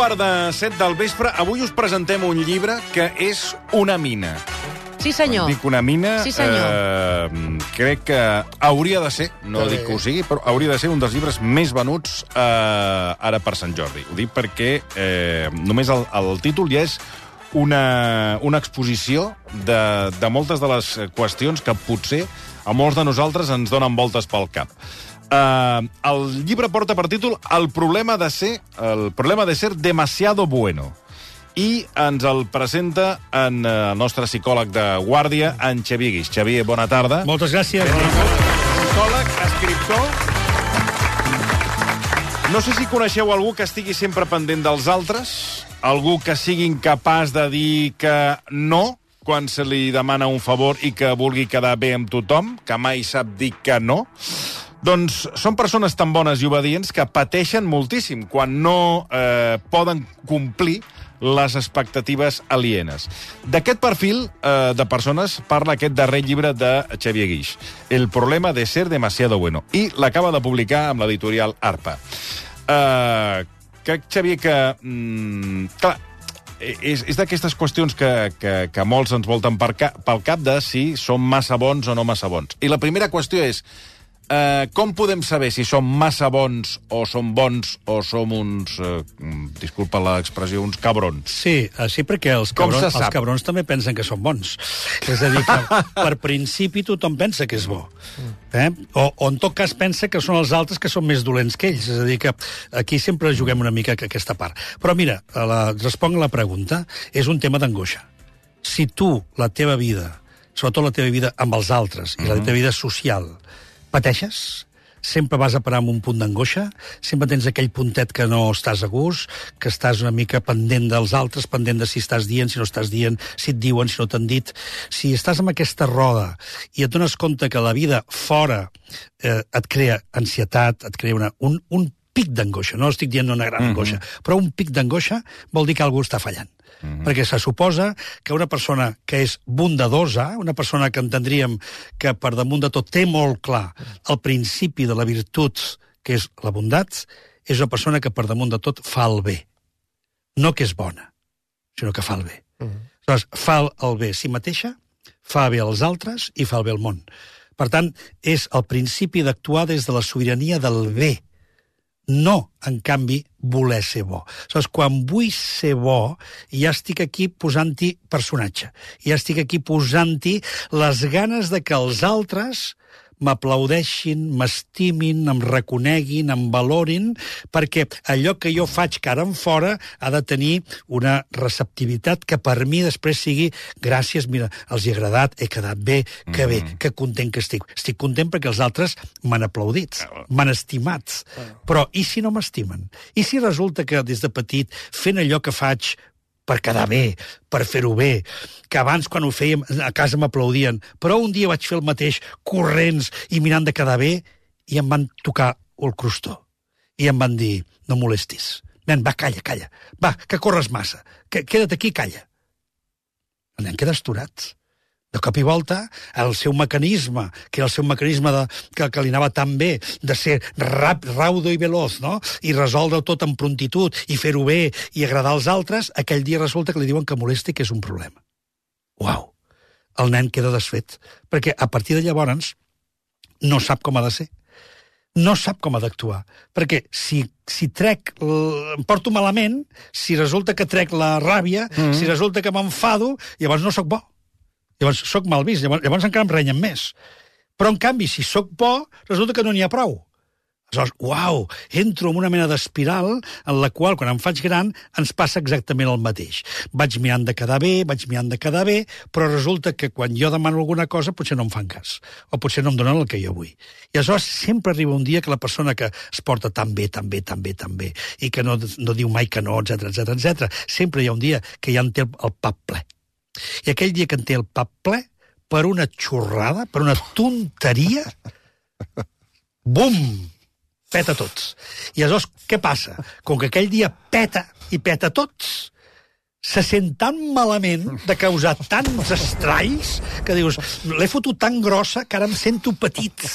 1:15 del vespre. Avui us presentem un llibre que és una mina. Sí, senyor. Dic una mina, Sí, senyor. crec que hauria de ser, no dic que ho sigui, però hauria de ser un dels llibres més venuts ara per Sant Jordi. Ho dic perquè només el títol ja és una exposició de moltes de les qüestions que potser a molts de nosaltres ens donen voltes pel cap. El llibre porta per títol El problema de ser demasiado bueno. I ens el presenta el nostre psicòleg de guàrdia, en Xavier Guix. Xavier, bona tarda. Moltes gràcies. Psicòleg, escriptor. No sé si coneixeu algú que estigui sempre pendent dels altres, algú que sigui incapaç de dir que no quan se li demana un favor i que vulgui quedar bé amb tothom, que mai sap dir que no. Doncs són persones tan bones i obedients que pateixen moltíssim quan no poden complir les expectatives alienes. D'aquest perfil de persones parla aquest darrer llibre de Xavier Guix, El problema de ser demasiado bueno, i l'acaba de publicar amb l'editorial Arpa. Crec, Xavier, que... clar, és d'aquestes qüestions que molts ens volten pel cap de si som massa bons o no massa bons. I la primera qüestió és com podem saber si som massa bons o som bons o som uns, disculpa l'expressió, uns cabrons? Sí, perquè els cabrons també pensen que són bons. És a dir, que per principi tothom pensa que és bo. O en tot cas pensa que són els altres que són més dolents que ells. És a dir, que aquí sempre juguem una mica aquesta part. Però mira, responc a la pregunta, és un tema d'angoixa. Si tu, la teva vida, sobretot la teva vida amb els altres, i la teva vida social, pateixes, sempre vas a parar amb un punt d'angoixa, sempre tens aquell puntet que no estàs a gust, que estàs una mica pendent dels altres, pendent de si estàs dient, si no estàs dient, si et diuen, si no t'han dit. Si estàs amb aquesta roda i et dones compte que la vida fora et crea ansietat, et crea un pic d'angoixa, no estic dient una gran angoixa, però un pic d'angoixa vol dir que algú està fallant. Perquè se suposa que una persona que és bondadosa, una persona que entendríem que per damunt de tot té molt clar el principi de la virtut, que és la bondat, és una persona que per damunt de tot fa el bé. No que és bona, sinó que fa el bé. Aleshores, fa el bé a si mateixa, fa bé als altres i fa el bé al món. Per tant, és el principi d'actuar des de la sobirania del bé. No, en canvi, voler ser bo. Aleshores, quan vull ser bo, ja estic aquí posant-hi personatge. Ja estic aquí posant-hi les ganes de que els altres m'aplaudeixin, m'estimin, em reconeguin, em valorin, perquè allò que jo faig cara en fora ha de tenir una receptivitat que per mi després sigui gràcies, mira, els hi ha agradat, he quedat bé, que bé, que content que estic. Estic content perquè els altres m'han aplaudit, m'han estimat. Però i si no m'estimen? I si resulta que des de petit, fent allò que faig per quedar bé, per fer-ho bé, que abans quan ho fèiem a casa m'aplaudien, però un dia vaig fer el mateix corrents i mirant de quedar bé i em van tocar el crostó. I em van dir, no molestis. Nen, va, calla. Va, que corres massa. Queda't aquí, calla. El nen queda asturat. De cop i volta, el seu mecanisme, que era el seu mecanisme que li anava tan bé, de ser raudo i veloç, no? I resoldre tot amb prontitud, i fer-ho bé, i agradar als altres, aquell dia resulta que li diuen que molesti, que és un problema. Uau! El nen queda desfet, perquè a partir de llavors no sap com ha de ser. No sap com ha d'actuar. Perquè si em porto malament, si resulta que trec la ràbia, si resulta que m'enfado, llavors no sóc bo. Llavors soc mal vist, llavors encara em renyen més. Però, en canvi, si sóc bo, resulta que no n'hi ha prou. Aleshores, uau, entro en una mena d'espiral en la qual, quan em faig gran, ens passa exactament el mateix. Vaig mirant de quedar bé, però resulta que quan jo demano alguna cosa potser no em fan cas, o potser no em donen el que jo vull. I aleshores sempre arriba un dia que la persona que es porta tan bé, i que no diu mai que no, etc, sempre hi ha un dia que ja en té el pap ple. I aquell dia que en té el pap ple, per una xorrada, per una tonteria, bum! Peta tots. I aleshores, què passa? Com que aquell dia peta i peta tots, se sent tan malament de causar tants estralls que dius, l'he fotut tan grossa que ara em sento petit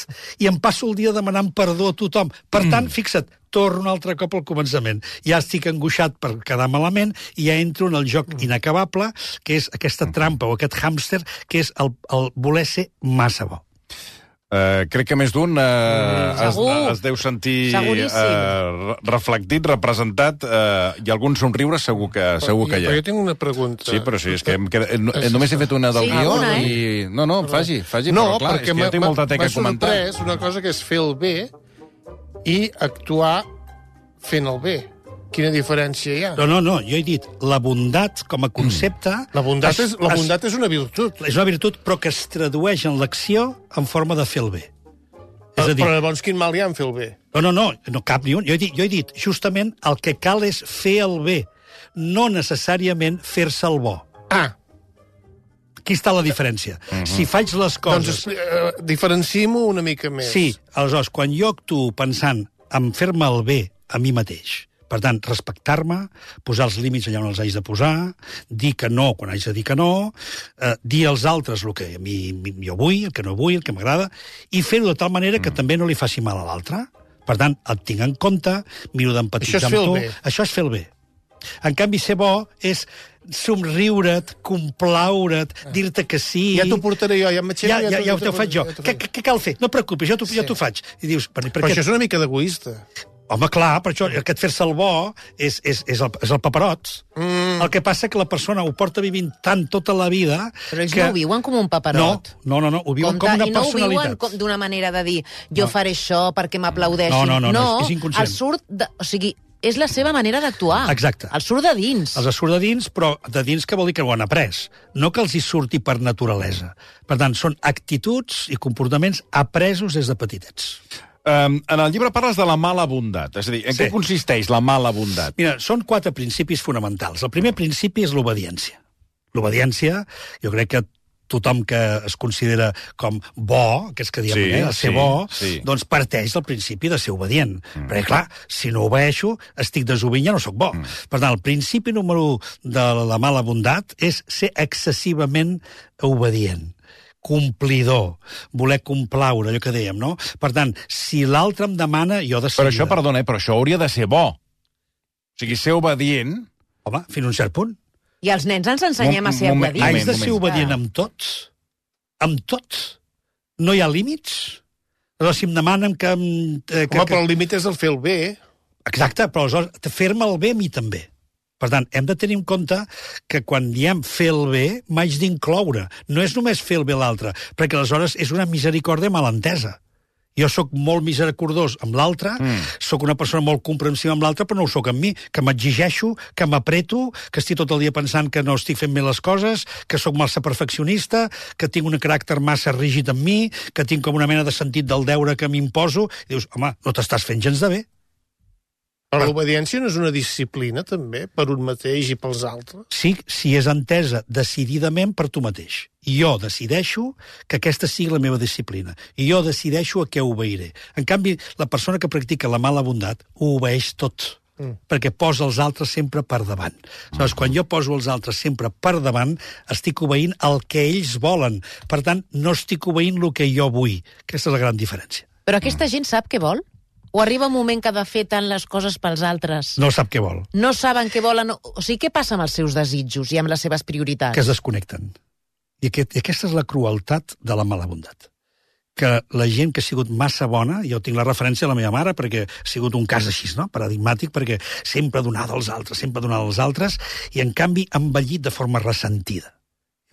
i em passo el dia demanant perdó a tothom. Per tant, fixa't, torno un altre cop al començament. Ja estic angoixat per quedar malament i ja entro en el joc inacabable, que és aquesta trampa o aquest hàmster, que és el voler ser massa bo. Crec que més d'un es deu sentir reflectit, representat, i algun somriure segur que hi ha. Però jo tinc una pregunta. Sí, però sí, és que només he fet una del guió i... No, faci, però clar, és que jo tinc molta teca a comentar. M'ha sorprès una cosa que és fer el bé i actuar fent el bé. Quina diferència hi ha? No, jo he dit, la bondat com a concepte... La bondat és una virtut. És una virtut, però que es tradueix en l'acció en forma de fer el bé. Però llavors quin mal hi ha en fer el bé? No cap ni un. Jo he dit, justament, el que cal és fer el bé, no necessàriament fer-se el bo. Aquí està la diferència. Si faig les coses... Doncs diferenciem-ho una mica més. Sí, aleshores, quan jo actuo pensant en fer-me el bé a mi mateix, per tant, respectar-me, posar els límits allà on els haig de posar, dir que no quan haig de dir que no, dir als altres el que a mi jo vull, el que no vull, el que m'agrada, i fer-ho de tal manera que també no li faci mal a l'altre. Per tant, et tinc en compte, miro d'empatitzar amb tu. Això és fer el bé. En canvi, ser bo és somriure't, complaure't, dir-te que sí... Ja t'ho portaré jo, ja m'aixeco... Ja ho faig jo. Què cal fer? No et preocupis, jo t'ho faig. I dius, però això és una mica d'egoista. Home, clar, per això aquest fer-se el bo és el paperot. El que passa que la persona ho porta vivint tant tota la vida... Però ells no ho viuen com un paperot. No, ho viuen com una personalitat. I no ho viuen d'una manera de dir jo faré això perquè m'aplaudeixin. No, és inconscient. O sigui, és la seva manera d'actuar. Exacte. Els surt de dins. Els surt de dins, però de dins que vol dir que ho han après. No que els hi surti per naturalesa. Per tant, són actituds i comportaments apresos des de petitets. En el llibre parles de la mala bondat. És a dir, en què consisteix la mala bondat? Mira, són 4 principis fonamentals. El primer principi és l'obediència. L'obediència, jo crec que tothom que es considera com bo, aquests que diem, ser bo, doncs parteix del principi de ser obedient. Perquè, clar, si no obeeixo, estic desobedient, ja no sóc bo. Per tant, el principi número 1 de la mala bondat és ser excessivament obedient, complidor, voler complaure, allò que dèiem, no? Per tant, si l'altre em demana, jo de seguida... Però això, perdona, però això hauria de ser bo. O sigui, ser obedient... Home, fins a un cert punt. I els nens ens ensenyem a ser obedients. Haig de ser obedient amb tots? Amb tots? No hi ha límits? Però si em demanen que... Però el límit és el fer el bé. Exacte, però aleshores fer-me el bé a mi també. Per tant, hem de tenir en compte que quan diem fer el bé, m'haig d'incloure. No és només fer el bé a l'altre, perquè aleshores és una misericòrdia mal entesa. Jo sóc molt misericordós amb l'altre, sóc una persona molt comprensiva amb l'altre, però no ho sóc amb mi, que m'exigeixo, que m'apreto, que estic tot el dia pensant que no estic fent bé les coses, que sóc massa perfeccionista, que tinc un caràcter massa rígid amb mi, que tinc com una mena de sentit del deure que m'imposo. I dius, home, no t'estàs fent gens de bé. Però l'obediència no és una disciplina, també, per un mateix i pels altres? Sí, si és entesa decididament per tu mateix. I jo decideixo que aquesta sigui la meva disciplina. I jo decideixo a què obeiré. En canvi, la persona que practica la mala bondat ho obeeix tot, perquè posa els altres sempre per davant. Llavors, quan jo poso els altres sempre per davant, estic obeint el que ells volen. Per tant, no estic obeint el que jo vull. Aquesta és la gran diferència. Però aquesta gent sap què vol? O arriba un moment que ha de fer tant les coses pels altres? No sap què vol. No saben què volen? O sigui, què passa amb els seus desitjos i amb les seves prioritats? Que es desconnecten. I aquesta és la crueltat de la mala bondat. Que la gent que ha sigut massa bona, jo tinc la referència a la meva mare, perquè ha sigut un cas així, no? Paradigmàtic, perquè sempre donada als altres, i en canvi ha envellit de forma ressentida.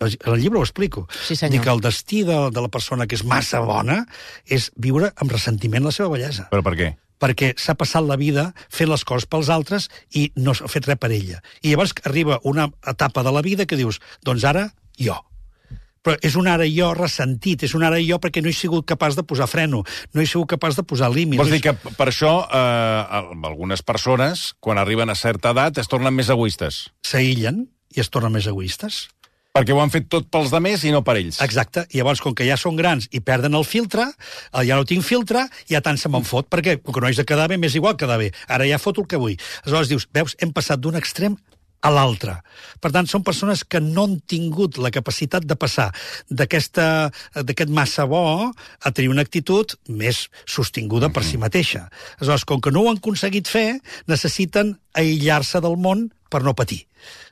En el llibre ho explico. Sí, senyor. Dic que el destí de la persona que és massa bona és viure amb ressentiment la seva bellesa. Però per què? Perquè s'ha passat la vida fent les coses pels altres i no ha fet res per ella. I llavors arriba una etapa de la vida que dius, doncs ara jo. Però és un ara jo ressentit, és un ara jo perquè no he sigut capaç de posar freno, no he sigut capaç de posar límits. Vols dir que per això algunes persones, quan arriben a certa edat, es tornen més egoistes? S'aïllen i es tornen més egoistes. Perquè ho han fet tot pels demés i no per ells. Exacte. I llavors, com que ja són grans i perden el filtre, ja no tinc filtre, ja tant se me'n fot, perquè com que no haig de quedar bé, m'és igual quedar bé. Ara ja foto el que vull. Aleshores dius, veus, hem passat d'un extrem a l'altre. Per tant, són persones que no han tingut la capacitat de passar d'aquest massa bo a tenir una actitud més sostinguda per si mateixa. Aleshores, com que no ho han aconseguit fer, necessiten aïllar-se del món per no patir.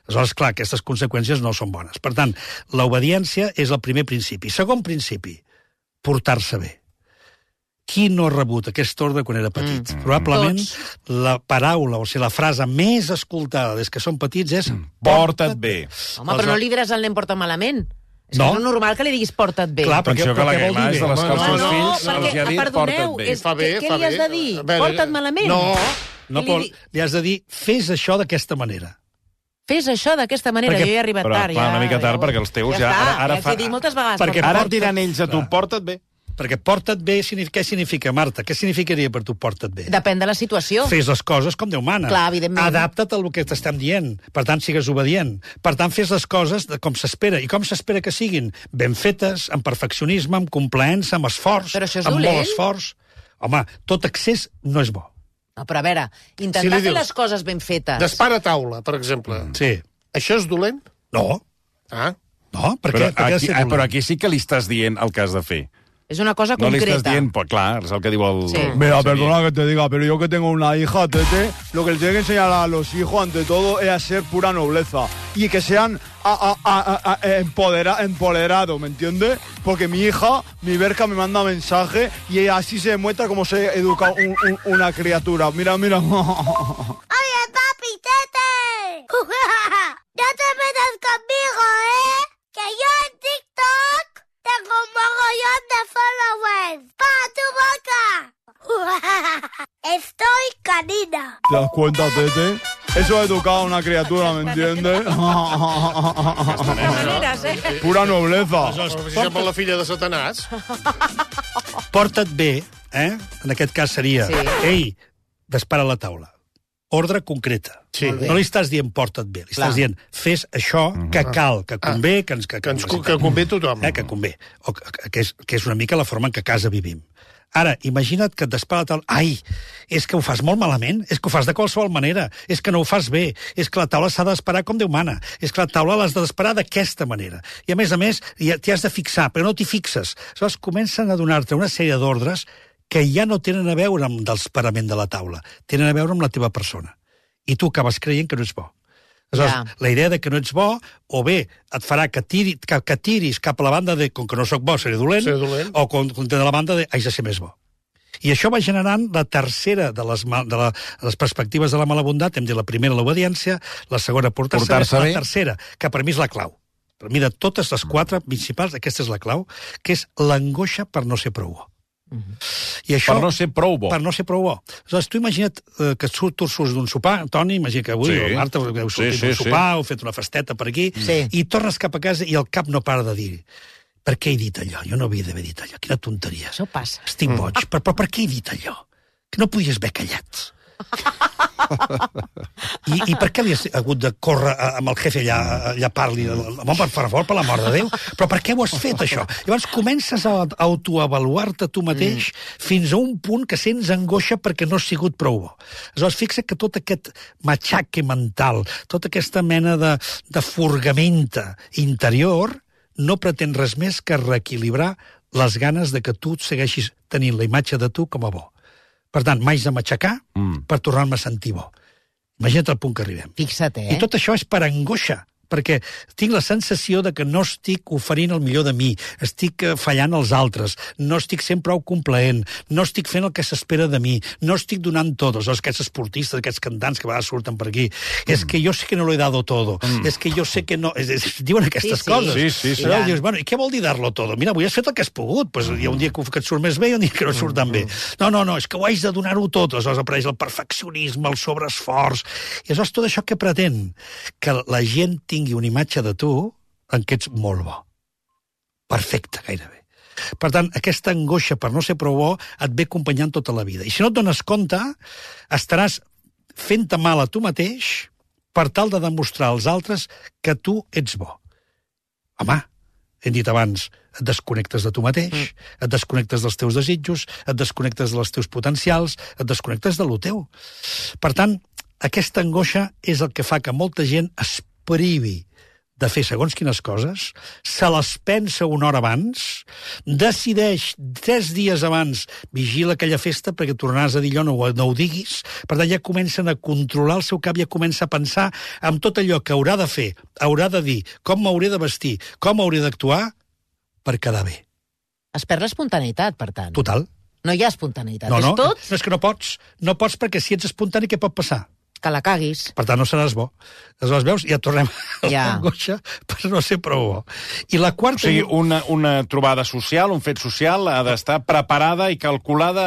Aleshores, clar, aquestes conseqüències no són bones. Per tant, l'obediència és el primer principi. Segon principi, portar-se bé. Qui no ha rebut aquest ordre quan era petit? Probablement la paraula, o sigui, la frase més escoltada des que són petits és porta't bé. Home, però no li diràs al nen porta malament. És No. que és normal que li diguis porta't bé. Clar, Atenció que la Gailà és de les que els seus fills els hi ha dit porta't bé. Què li has de dir? Porta't malament? No, però li has de dir, fes això d'aquesta manera. Fes això d'aquesta manera, jo he arribat Però, tard. clar, una mica tard, perquè els teus ja... Ara ja dit moltes vegades. Perquè Ara et diran ells a tu, porta't bé. Perquè porta't bé, què significa, Marta? Què significaria per tu porta't bé? Depèn de la situació. Fes les coses com Déu mana. Clar, evidentment. Adapta't al que t'estem dient. Per tant, sigues obedient. Per tant, fes les coses com s'espera. I com s'espera que siguin? Ben fetes, amb perfeccionisme, amb complaença, amb esforç. Però això és amb dolent. molt esforç. Home, tot excés no és bo. No, però a veure, intentar Si li fer dius, les coses ben fetes. Despara taula, per exemple. Sí. Això és dolent? No, Ah, no, per Però què? Per què ha de aquí, ser dolent? però aquí sí que li estàs dient el que has de fer. És una cosa No li concreta. estàs dient, pues clar, és el que diu el... Sí. Mira, perdona que te diga, pero yo que tengo una hija, Tete, lo que le tiene que enseñar a los hijos, ante todo, es a ser pura nobleza. Y que sean empoderados, ¿me entiendes? Porque mi hija, mi Berka, me manda mensaje y así se demuestra cómo se educa una criatura. Mira, mira. ¡Oye, papi, Tete! ¡No te metas conmigo, Que yo en TikTok tengo un mogollón de followers. ¡Pa tu boca! Estoy canina. ¿Te das cuenta, Tete? Eso es educar a una criatura, ¿me entiendes? De maneres, Pura nobleza. si sembla la filla de Satanàs. Porta't bé, en aquest cas seria, Sí. ei, dispara la taula. Ordre concreta. Sí. No li estàs dient porta't bé, li estàs dient fes això que cal, que convé, que convé a tothom. Que convé. O que és una mica la forma en què a casa vivim. Ara, imagina't que et dispara la taula. Ai, és que ho fas molt malament, és que ho fas de qualsevol manera, és que no ho fas bé, és que la taula s'ha d'esperar com Déu mana, és que la taula l'has d'esperar d'aquesta manera. I a més, t'hi has de fixar, però no t'hi fixes. Aleshores, comencen a donar-te una sèrie d'ordres que ja no tenen a veure amb l'esperament de la taula, tenen a veure amb la teva persona. I tu acabes creient que no ets bo. Aleshores, la idea de que no ets bo, o bé et farà que tiris cap a la banda de, com que no sóc bo, seré dolent, o de la banda de, haig de ser més bo. I això va generant la tercera de les perspectives de la mala bondat. Hem dit la primera, l'obediència, la segona, portar-se bé, la tercera, que per mi és la clau. Per mi, de totes les quatre principals, aquesta és la clau, que és l'angoixa per no ser prou bo. I això, per no ser prou bo. Per no ser prou bo. Aleshores, tu imagina't que tu surts d'un sopar, Toni, imagina que avui, o Marta, heu sortit d'un sopar, heu fet una festeta per aquí, i tornes cap a casa i el cap no para de dir per què he dit allò? Jo no havia d'haver dit allò. Quina tonteria. Això passa. Estic boig. Però per què he dit allò? Que no podies haver callat. I per què li has hagut de córrer amb el jefe allà parli? Home, per favor, per l'amor de Déu. Però per què ho has fet, això? Llavors comences a autoavaluar-te tu mateix fins a un punt que sents angoixa perquè no has sigut prou bo. Aleshores, fixa't que tot aquest matxaque mental, tota aquesta mena de furgamenta interior no pretén res més que reequilibrar les ganes de que tu segueixis tenint la imatge de tu com a bo. Per tant, m'haig de matxacar per tornar-me a sentir bo. Imagina't el punt que arribem. Fixa't, I tot això és per angoixa, perquè tinc la sensació de que no estic oferint el millor de mi, estic fallant als altres, no estic sent prou complaent, no estic fent el que s'espera de mi, no estic donant tot. Aquests esportistes, aquests cantants que a vegades surten per aquí, és que jo sé que no lo he dado todo, és que jo sé que no... Diuen aquestes coses. Sí. Però dius, bueno, i què vol dir dar-lo todo? Mira, avui has fet el que has pogut, pues, hi ha un dia que et surt més bé i un dia que no surt tan bé. No, és que ho haig de donar-ho tot. Aleshores apareix el perfeccionisme, el sobreesforç, i aleshores tot això que pretén que la gent tingui una imatge de tu en què ets molt bo. Perfecte, gairebé. Per tant, aquesta angoixa per no ser prou bo et ve acompanyant tota la vida. I si no et dones compte, estaràs fent-te mal a tu mateix per tal de demostrar als altres que tu ets bo. Home, hem dit abans, et desconnectes de tu mateix, et desconnectes dels teus desitjos, et desconnectes dels teus potencials, et desconnectes de lo teu. Per tant, aquesta angoixa és el que fa que molta gent es privi de fer segons quines coses, se les pensa una hora abans, decideix 3 dies abans, vigila aquella festa perquè tornaràs a dir allò, no ho diguis, per tant ja comencen a controlar el seu cap, ja comença a pensar en tot allò que haurà de fer, haurà de dir, com m'hauré de vestir, com hauré d'actuar per quedar bé. Es perd l'espontaneïtat, per tant. Total. No hi ha espontaneïtat, No, és tot no, és que no pots. No pots perquè si ets espontani, què pot passar? que la caguis. Per tant, no seràs bo. Aleshores, veus, ja tornem a l'angoixa per no ser prou bo. I la quarta... O sigui, una trobada social, un fet social, ha d'estar preparada i calculada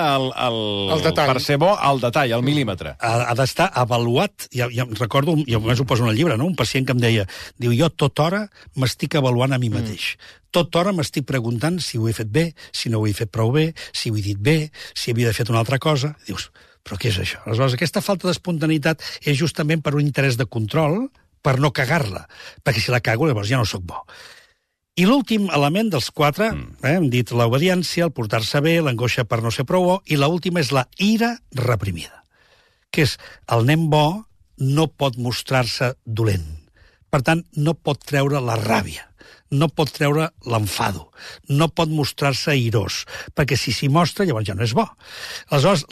per ser bo al detall, al mil·límetre. Ha d'estar avaluat. Ja recordo, jo només ho poso en el llibre, no? Un pacient que em deia, diu, jo tota hora m'estic avaluant a mi mateix. Tota hora m'estic preguntant si ho he fet bé, si no ho he fet prou bé, si ho he dit bé, si havia de fer una altra cosa. Dius, però què és això? Aleshores, aquesta falta d'espontaneïtat és justament per un interès de control, per no cagar-la. Perquè si la cago, llavors ja no sóc bo. I l'últim element dels 4, hem dit l'obediència, el portar-se bé, l'angoixa per no ser prou bo, i l'última és la ira reprimida, que és el nen bo no pot mostrar-se dolent. Per tant, no pot treure la ràbia, no pot treure l'enfado, no pot mostrar-se airós, perquè si s'hi mostra, llavors ja no és bo. Aleshores,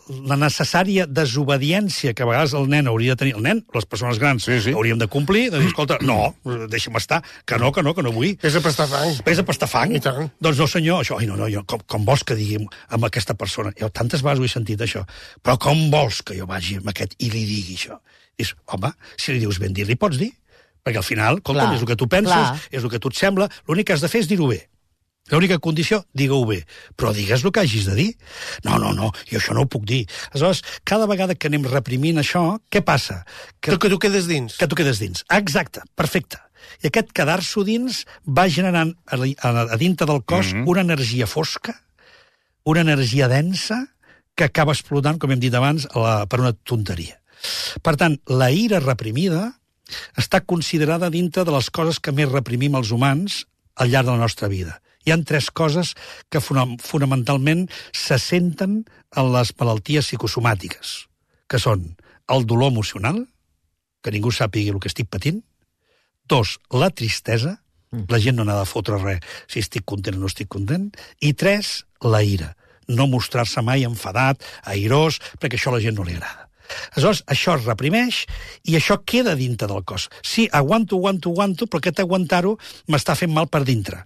la necessària desobediència que a vegades el nen hauria de tenir, el nen, les persones grans, hauríem de complir, de dir, escolta, no, deixa'm estar, que no vull. Pesa per estar fang. Pesa per estar fang? I tant. Doncs no, senyor, això, jo, com vols que digui amb aquesta persona? Jo tantes vegades ho he sentit, això. Però com vols que jo vagi amb aquest i li digui això? Dius, home, si li dius ben dir, li pots dir? Perquè al final, escolta, és el que tu penses, és el que tu et sembla, l'únic que has de fer és dir-ho bé. L'única condició, digue-ho bé. Però digues el que hagis de dir. No, jo això no ho puc dir. Aleshores, cada vegada que anem reprimint això, què passa? Que tu quedes dins. Que tu quedes dins. Exacte, perfecte. I aquest quedar-s'ho dins va generant a dintre del cos una energia fosca, una energia densa, que acaba explotant, com hem dit abans, per una tonteria. Per tant, la ira reprimida està considerada dintre de les coses que més reprimim els humans al llarg de la nostra vida. Hi ha 3 coses que fonamentalment se senten en les malalties psicosomàtiques, que són el dolor emocional, que ningú sàpiga el que estic patint, 2, la tristesa, la gent no n'ha de fotre res si estic content o no estic content, i 3, la ira, no mostrar-se mai enfadat, airós, perquè això a la gent no li agrada. Aleshores, això es reprimeix i això queda dintre del cos. Sí, aguanto, però aquest aguantar-ho m'està fent mal per dintre.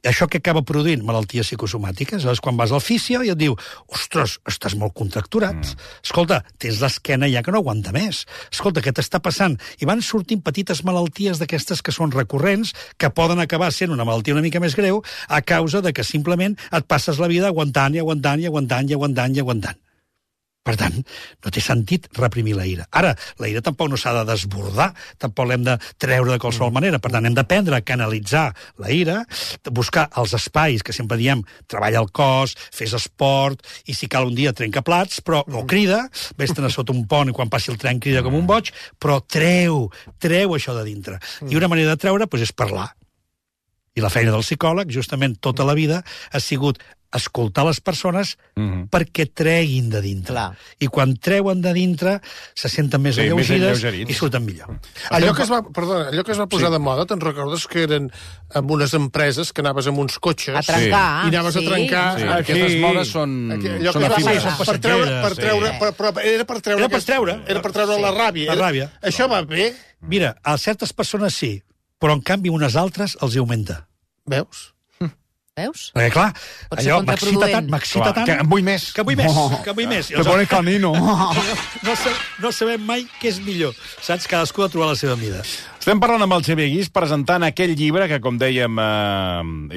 Això que acaba produint malalties psicosomàtiques. Aleshores, quan vas al fisio i et diu, ostres, estàs molt contracturat. Escolta, tens l'esquena ja que no aguanta més. Escolta, què t'està passant? I van sortint petites malalties d'aquestes que són recurrents, que poden acabar sent una malaltia una mica més greu a causa de que simplement et passes la vida aguantant. Per tant, no té sentit reprimir la ira. Ara, la ira tampoc no s'ha de desbordar, tampoc l'hem de treure de qualsevol manera. Per tant, hem d'aprendre a canalitzar la ira, buscar els espais que sempre diem, treballa el cos, fes esport, i si cal un dia trenca plats, però no crida, vés-te'n a sota un pont i quan passi el tren crida com un boig, però treu això de dintre. I una manera de treure és parlar. I la feina del psicòleg, justament tota la vida, ha sigut escoltar les persones perquè treguin de dintre. I quan treuen de dintre se senten més alleugides i surten millor. Allò que es va posar de moda, te'n recordes que eren en unes empreses que anaves amb uns cotxes a trencar, i anaves a trencar... Aquestes modes són Era per treure la ràbia. Això va bé? Mira, a certes persones sí, però en canvi unes altres els augmenta. Veus? Perquè, clar, allò m'excita tant... Que en vull més. Que vull més. Te pones camino. No sabem mai què és millor. Saps? Cadascú ha de trobar la seva mida. Estem parlant amb el Xavier Guix presentant aquell llibre que, com dèiem,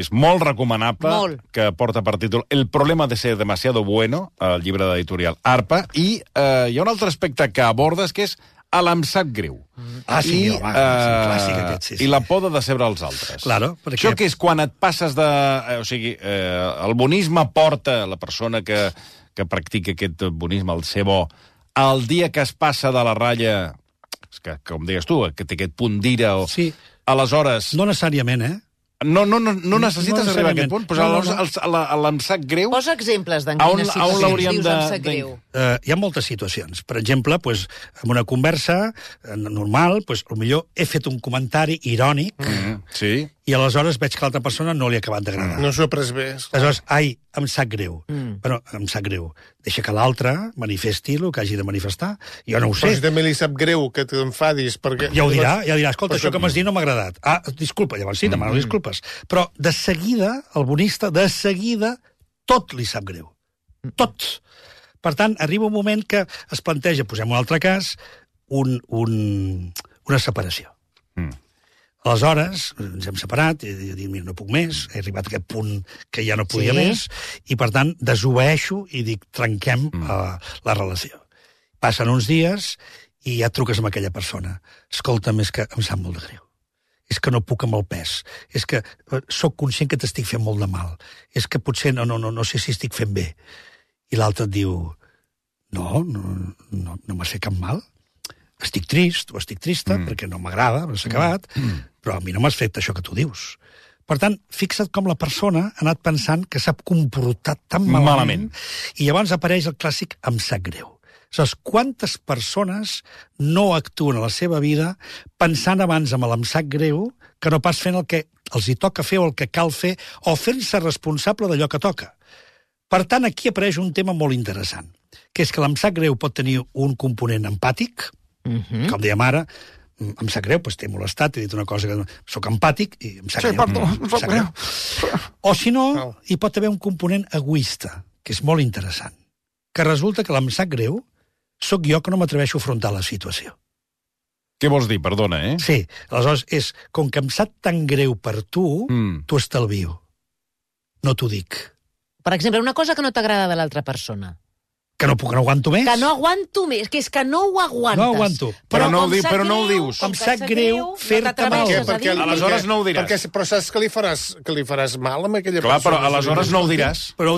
és molt recomanable, que porta per títol El problema de ser demasiado bueno, el llibre d'editorial Arpa, i hi ha un altre aspecte que abordes, que és em sap greu. Clàssic aquest, sí. I la por de decebre els altres. Claro, perquè... Això que és quan et passes de... O sigui, el bonisme porta la persona que practica aquest bonisme, el ser bo, el dia que es passa de la ratlla, que, com deies tu, que té aquest punt d'ira, aleshores... No necessàriament, No necessites arribar a aquest punt. Però llavors, em sap greu... Posa exemples d'en quines situacions dius em sap greu. Hi ha moltes situacions. Per exemple, en una conversa normal, potser he fet un comentari irònic i aleshores veig que l'altra persona no li ha acabat d'agradar. No s'ho ha pres bé. Aleshores, em sap greu. Però em sap greu. Deixa que l'altre manifesti el que hagi de manifestar. Jo no ho sé. Però si també li sap greu que t'enfadis, perquè... Ja ho dirà. Escolta, això que m'has dit no m'ha agradat. Disculpa, llavors sí, demano disculpes. Però de seguida, el bonista, tot li sap greu. Tot. Per tant, arriba un moment que es planteja, posem un altre cas, una separació. Aleshores, ens hem separat, i dic, mira, no puc més, he arribat a aquest punt que ja no podia més, i per tant, desobeeixo i dic, trenquem la relació. Passen uns dies i ja truques amb aquella persona. Escolta'm, és que em sap molt de greu. És que no puc amb el pes. És que sóc conscient que t'estic fent molt de mal. És que potser no sé si estic fent bé. I l'altre et diu, no m'has fet cap mal. Estic trist o estic trista perquè no m'agrada, s'ha acabat, però a mi no m'has fet això que tu dius. Per tant, fixa't com la persona ha anat pensant que s'ha comportat tan malament. I llavors apareix el clàssic em sap greu. Saps quantes persones no actuen a la seva vida pensant abans amb l'em sap greu que no pas fent el que els hi toca fer o el que cal fer o fent-se responsable d'allò que toca. Per tant, aquí apareix un tema molt interessant, que és que l'em sap greu pot tenir un component empàtic, com dèiem ara, em sap greu, t'he molestat, t'he dit una cosa que sóc empàtic i em sap greu. Perdó, em sap greu. O si no, hi pot haver un component egoista, que és molt interessant, que resulta que l'em sap greu sóc jo que no m'atreveixo a afrontar la situació. Què vols dir? Perdona, Sí, aleshores com que em sap tan greu per tu, t'ho estalvio. No t'ho dic. Per exemple, una cosa que no t'agrada de l'altra persona. Que no aguanto més. Que no aguanto més, que és que no ho aguantes. No aguanto. Però no ho dius. Em sap greu fer-te mal. Perquè aleshores no ho diràs. Però saps que li faràs mal amb aquella persona? Clar, però aleshores no ho diràs. Però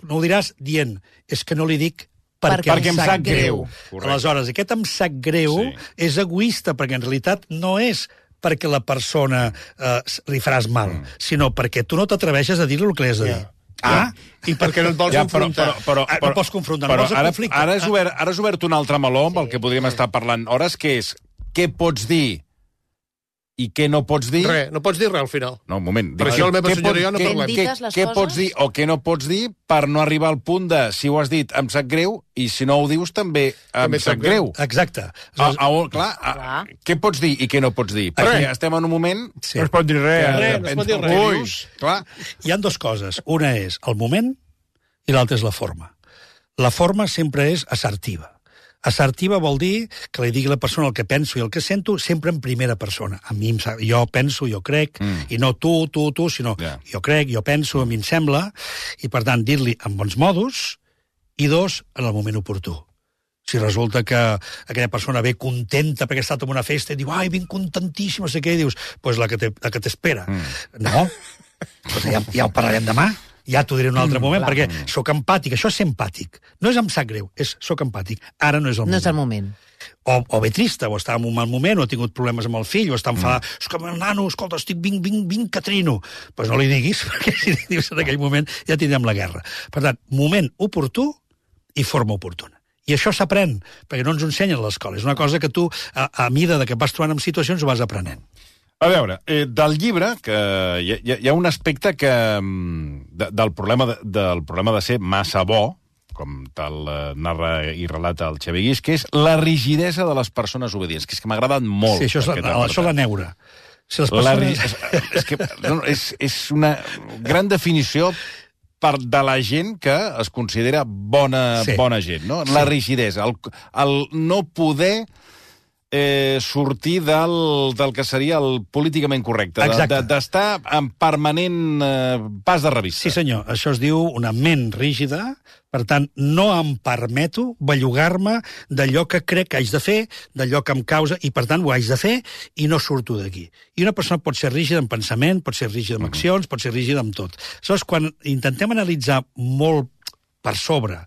no ho diràs dient, és que no li dic perquè em sap greu. Aleshores, aquest em sap greu és egoista, perquè en realitat no és perquè la persona li faràs mal, sinó perquè tu no t'atreveixes a dir-li el que li has de dir. I perquè no et vols confrontar. No pots confrontar, no vols el conflicte. Ara has obert un altre meló amb el que podríem estar parlant hores, que és què pots dir i què no pots dir... Res, no pots dir res al final. No, un moment. Per això la meva senyora i jo no parlem. Què pots dir o què no pots dir per no arribar al punt de, si ho has dit, em sap greu, i si no ho dius també em sap greu. Exacte. Clar, què pots dir i què no pots dir? Perquè estem en un moment... No es pot dir res. No es pot dir res. Clar. Hi ha dues coses. Una és el moment i l'altra és la forma. La forma sempre és assertiva. Assertiva vol dir que li digui a la persona el que penso i el que sento sempre en primera persona. A mi jo penso, jo crec, i no tu, sinó jo crec, jo penso, a mi em sembla, i per tant dir-li en bons modos, i dos, en el moment oportú. Si resulta que aquella persona ve contenta perquè ha estat en una festa i diu, ai, ben contentíssima, no sé què, i dius, doncs la que t'espera. No, ja ho parlarem demà. Ja t'ho diré en un altre moment, perquè sóc empàtic. Això és ser empàtic. No és em sap greu, és sóc empàtic. Ara no és el moment. No és el moment. O bé trista, o està en un mal moment, o ha tingut problemes amb el fill, o està enfadat. És que, nano, escolta, estic vinc, catrino. Doncs no li diguis, perquè si li dius en aquell moment ja tindrem la guerra. Per tant, moment oportú i forma oportuna. I això s'aprèn, perquè no ens ho ensenyen a l'escola. És una cosa que tu, a mida que vas trobant en situacions, ho vas aprenent. A veure, del llibre, que hi ha un aspecte que del problema de ser massa bo, com tal narra i relata el Xavier Guix, que és la rigidesa de les persones obedients, que és que m'ha agradat molt. Sí, això és la neura. Si les persones... És una gran definició de la gent que es considera bona gent, no? La rigidesa, el no poder... sortir del que seria el políticament correcte, d'estar en permanent pas de revista. Sí, senyor, això es diu una ment rígida, per tant, no em permeto bellugar-me d'allò que crec que haig de fer, d'allò que em causa, i per tant ho haig de fer i no surto d'aquí. I una persona pot ser rígida en pensament, pot ser rígida en accions, pot ser rígida en tot. Aleshores, quan intentem analitzar molt per sobre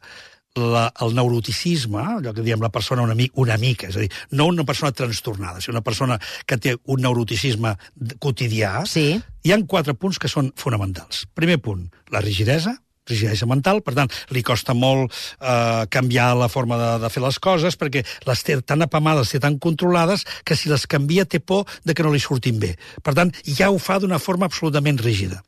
el neuroticisme, allò que diem la persona una mica, és a dir, no una persona trastornada, sinó una persona que té un neuroticisme quotidià, Sí. hi ha 4 punts que són fonamentals. Primer punt, la rigidesa mental, per tant, li costa molt canviar la forma de fer les coses, perquè les té tan apamades, les té tan controlades, que si les canvia té por de que no li surtin bé. Per tant, ja ho fa d'una forma absolutament rígida.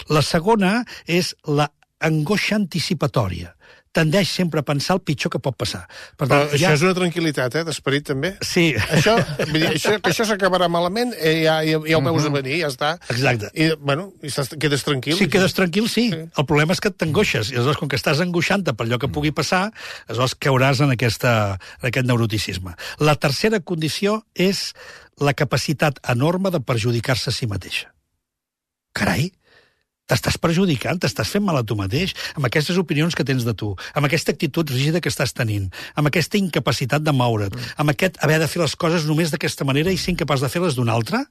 La segona és la angoixa anticipatòria. Tendeix sempre a pensar el pitjor que pot passar. Per tant, Però això és una tranquil·litat, d'esperit, també. Sí. Que això s'acabarà malament, ja ho veus a venir, ja està. Exacte. I, bueno, quedes tranquil. Sí, quedes tranquil, sí. El problema és que t'angoixes. I aleshores, com que estàs angoixant-te per allò que pugui passar, aleshores cauràs en aquest neuroticisme. La tercera condició és la capacitat enorme de perjudicar-se a si mateixa. Carai! T'estàs perjudicant, t'estàs fent mal a tu mateix, amb aquestes opinions que tens de tu, amb aquesta actitud rígida que estàs tenint, amb aquesta incapacitat de moure't, amb aquest haver de fer les coses només d'aquesta manera i ser incapaç de fer-les d'una altra,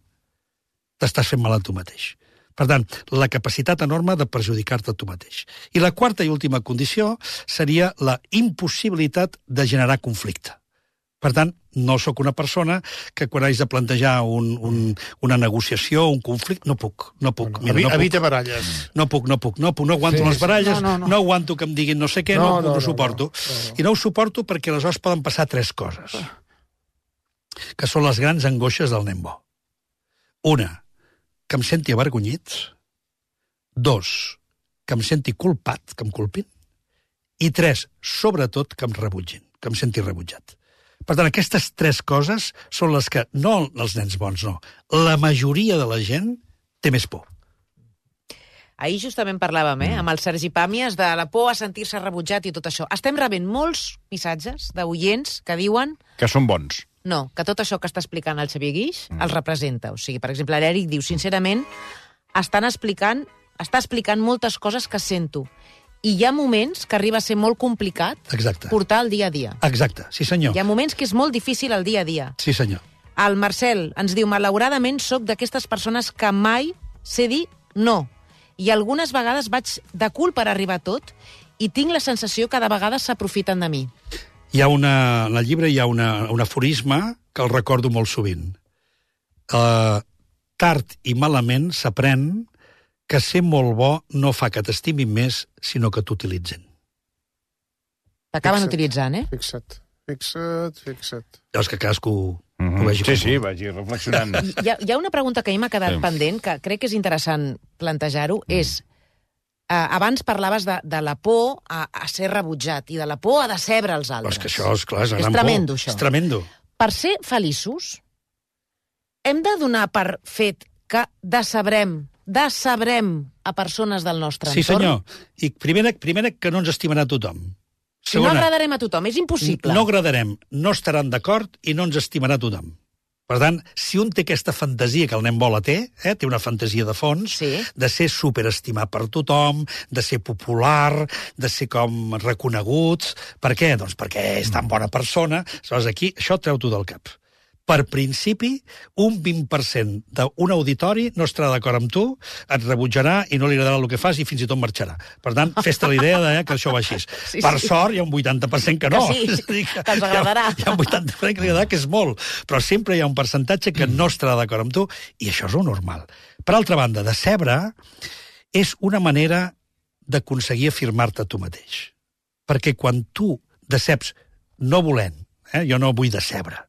t'estàs fent mal a tu mateix. Per tant, la capacitat enorme de perjudicar-te a tu mateix. I la quarta i última condició seria la impossibilitat de generar conflicte. Per tant, no sóc una persona que quan haig de plantejar una negociació, un conflicte, no puc. Mira, Evita baralles. No aguanto les baralles, no aguanto que em diguin no sé què, no ho suporto. I no ho suporto perquè aleshores poden passar 3 coses, que són les grans angoixes del nen bo. Una, que em senti avergonyit. 2, que em senti culpat, que em culpin. I 3, sobretot, que em rebutgin, que em senti rebutjat. Per tant, aquestes 3 coses són les que, no els nens bons, no, la majoria de la gent té més por. Ahir justament parlàvem, amb el Sergi Pàmies, de la por a sentir-se rebutjat i tot això. Estem rebent molts missatges d'oients que diuen... Que són bons. No, que tot això que està explicant el Xavier Guix els representa. O sigui, per exemple, l'Eric diu, sincerament, està explicant moltes coses que sento. I hi ha moments que arriba a ser molt complicat portar el dia a dia. Exacte, sí senyor. Hi ha moments que és molt difícil el dia a dia. Sí senyor. El Marcel ens diu, malauradament sóc d'aquestes persones que mai sé dir no. I algunes vegades vaig de cul per arribar a tot i tinc la sensació que de vegades s'aprofiten de mi. En el llibre hi ha un aforisme que el recordo molt sovint. Tard i malament s'aprèn que ser molt bo no fa que t'estimin més, sinó que t'utilitzen. T'acaben utilitzant, Fixa't. Llavors que cadascú ho vegi. Sí, vagi reflexionant. Hi ha una pregunta que a mi m'ha quedat pendent, que crec que és interessant plantejar-ho, és, abans parlaves de la por a ser rebutjat i de la por a decebre els altres. Però és que això, esclar, és una gran por. Tremendo, això. És tremendo. Per ser feliços, hem de donar per fet que decebrem a persones del nostre entorn. Sí, senyor. I primera que no ens estimarà tothom. Si no agradarem a tothom, és impossible. No agradarem, no estaran d'acord i no ens estimarà tothom. Per tant, si un té aquesta fantasia que el nen bola té una fantasia de fons, de ser superestimat per tothom, de ser popular, de ser com reconeguts. Per què? Doncs perquè és tan bona persona. Aleshores, aquí, això treu-t'ho del cap. Per principi, un 20% d'un auditori no estarà d'acord amb tu, et rebutjarà i no li agradarà el que fas i fins i tot marxarà. Per tant, fes-te la idea que això va així. Per sort, hi ha un 80% que no. Que els agradarà. Hi ha un 80% que li agradarà, que és molt. Però sempre hi ha un percentatge que no estarà d'acord amb tu i això és normal. Per altra banda, decebre és una manera d'aconseguir afirmar-te a tu mateix. Perquè quan tu deceps no volent, jo no vull decebre,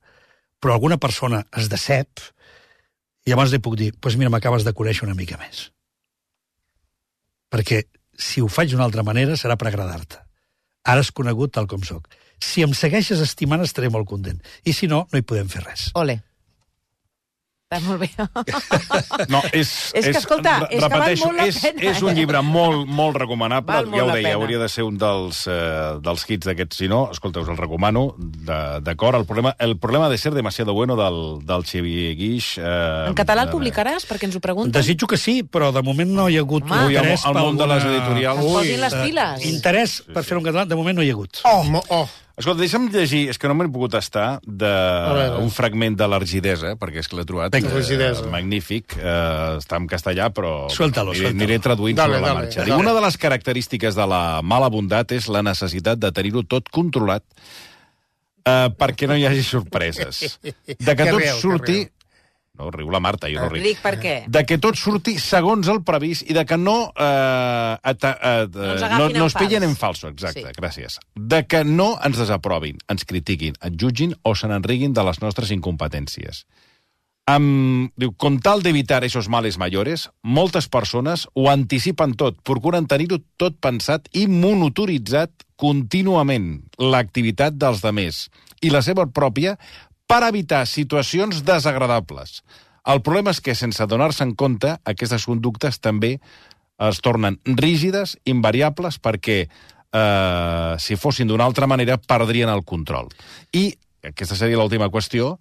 però alguna persona es decep, i llavors li puc dir, doncs mira, m'acabes de conèixer una mica més. Perquè si ho faig d'una altra manera serà per agradar-te. Ara has conegut tal com sóc. Si em segueixes estimant estaré molt content. I si no, no hi podem fer res. Ole. Està molt bé. No, és que, escolta, és que val molt la pena. És un llibre molt recomanable. Ja ho deia, hauria de ser un dels hits d'aquests. Si no, escolta, us el recomano, d'acord. El problema de ser demasiado bueno del Xavier Guix. En català el publicaràs, perquè ens ho pregunten? Desitjo que sí, però de moment no hi ha hagut interès al món de les editorials. Posin les piles. Interès per fer-ho en català, de moment no hi ha hagut. Oh! Escolta, deixa'm llegir, és que no m'he pogut estar, d'un fragment de l'Argidesa, perquè és que l'he trobat magnífic. Està en castellà, però aniré traduint sobre la marxa. Una de les característiques de la mala bondat és la necessitat de tenir-ho tot controlat perquè no hi hagi sorpreses. De que tot surti... No, riu la Marta, jo no ric. Ric per què? De que tot surti segons el previst i de que no es pillen en falso, exacte, gràcies. De que no ens desaprovin, ens critiquin, ens jutgin o se n'enriguin de les nostres incompetències. Diu, con tal d'evitar esos males mayores, moltes persones ho anticipen tot, procuren tenir-ho tot pensat i monitoritzat contínuament l'activitat dels demés i la seva pròpia per evitar situacions desagradables. El problema és que, sense donar-se en compte, aquestes conductes també es tornen rígides, invariables, perquè, si fossin d'una altra manera, perdrien el control. I, aquesta seria l'última qüestió,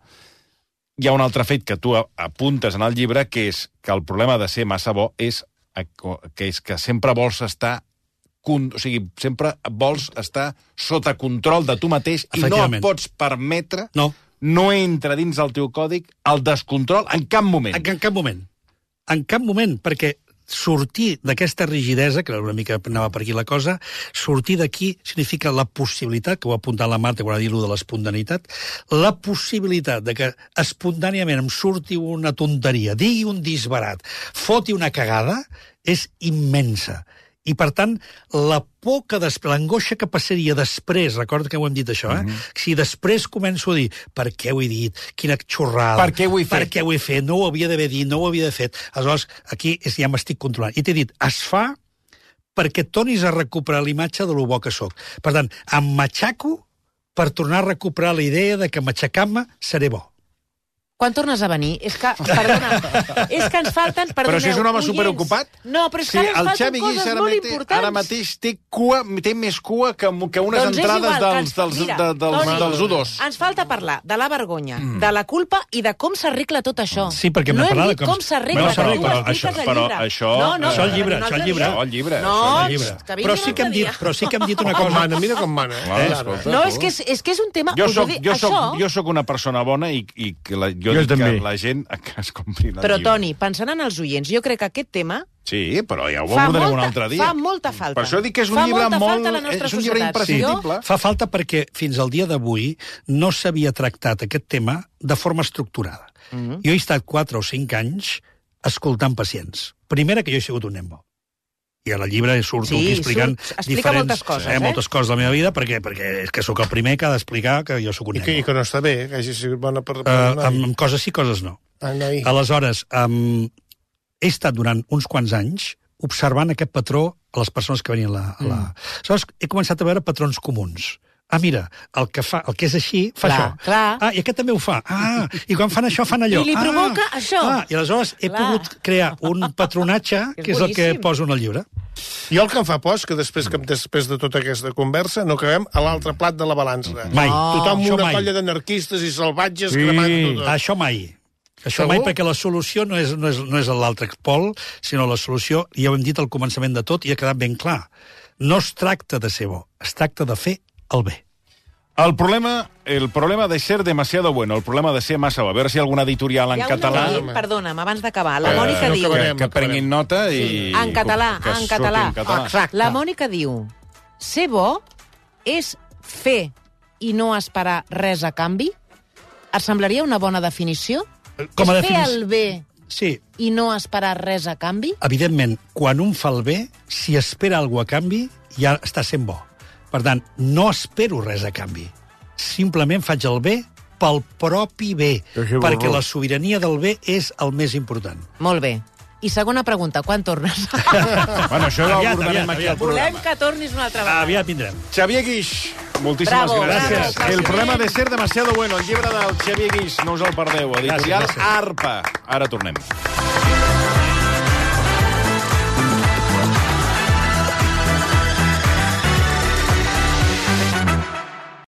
hi ha un altre fet que tu apuntes en el llibre, que és que el problema de ser massa bo és que sempre vols estar sempre vols estar sota control de tu mateix i no et pots permetre... No entra dins del teu còdic el descontrol en cap moment. En cap moment. En cap moment, perquè sortir d'aquesta rigidesa, que una mica anava per aquí la cosa, sortir d'aquí significa la possibilitat, que ho ha apuntat la Marta quan ha dit de l'espontaneïtat, la possibilitat de que espontàniament em surti una tonteria, digui un disbarat, foti una cagada, és immensa. I, per tant, la por que l'angoixa que passaria després, recorda que ho hem dit això, si després començo a dir per què ho he dit, quina xorrada, per què ho he fet, no ho havia d'haver dit, no ho havia de fet, aleshores aquí ja m'estic controlant. I t'he dit, es fa perquè tornis a recuperar l'imatge de lo bo que sóc. Per tant, em matxaco per tornar a recuperar la idea de que matxacant-me seré bo. Quan tornes a venir? És que, perdona, és que ens falten... Però si és un home superocupat? No, però és que ens falten coses molt importants. Ara mateix té més cua que unes entrades dels U2. Ens falta parlar de la vergonya, de la culpa i de com s'arregla tot això. Sí, perquè hem de parlar de com s'arregla. Però això... Això el llibre. Però sí que hem dit una cosa. Mira com mana. No, és que és un tema... Jo sóc una persona bona i que la gent es compri la Però, Toni, pensant en els oients, jo crec que aquest tema... Sí, però ja ho abordarem un altre dia. Fa molta falta. Per això dic que és un llibre és un llibre imprescindible. Fa falta perquè fins al dia d'avui no s'havia tractat aquest tema de forma estructurada. Jo he estat 4 o 5 anys escoltant pacients. Primera, que jo he sigut un nen bo. I a la llibre surto aquí explicant moltes coses, moltes coses de la meva vida, perquè és que sóc el primer que ha d'explicar que jo sóc un nen. I que no està bé, que hagi sigut bona per... Amb coses sí, coses no. Aleshores, he estat durant uns quants anys observant aquest patró a les persones que venien Aleshores, he començat a veure patrons comuns. Mira, el que és així, fa això. I aquest també ho fa. I quan fan això, fan allò. I li provoca això. I aleshores he pogut crear un patronatge, que és el que poso en el llibre. I el que em fa por és que després de tota aquesta conversa no acabem a l'altre plat de la balança. Mai. Tothom una colla d'anarquistes i salvatges cremant tot. Això mai. Això mai, perquè la solució no és a l'altre pol, sinó la solució, ja ho hem dit al començament de tot, i ha quedat ben clar. No es tracta de ser bo, es tracta de fer el bé. El problema de ser demasiado bueno, el problema de ser massa bo. A veure si hi ha alguna editorial en català... Perdona'm, abans d'acabar. La Mònica diu... Que prenguin nota i... En català. La Mònica diu, ser bo és fer i no esperar res a canvi? Et semblaria una bona definició? Com a és fer el bé i no esperar res a canvi? Evidentment, quan un fa el bé, si espera alguna cosa a canvi, ja està sent bo. Per tant, no espero res a canvi. Simplement faig el bé pel propi bé, perquè la sobirania del bé és el més important. Molt bé. I segona pregunta, quan tornes? Bueno, això ho abordarem aquí al programa. Volem que tornis una altra vegada. Aviat vindrem. Xavier Guix, moltíssimes gràcies. El problema de ser demasiado bueno, el llibre del Xavier Guix, no us el perdeu. Editorial Arpa. Ara tornem.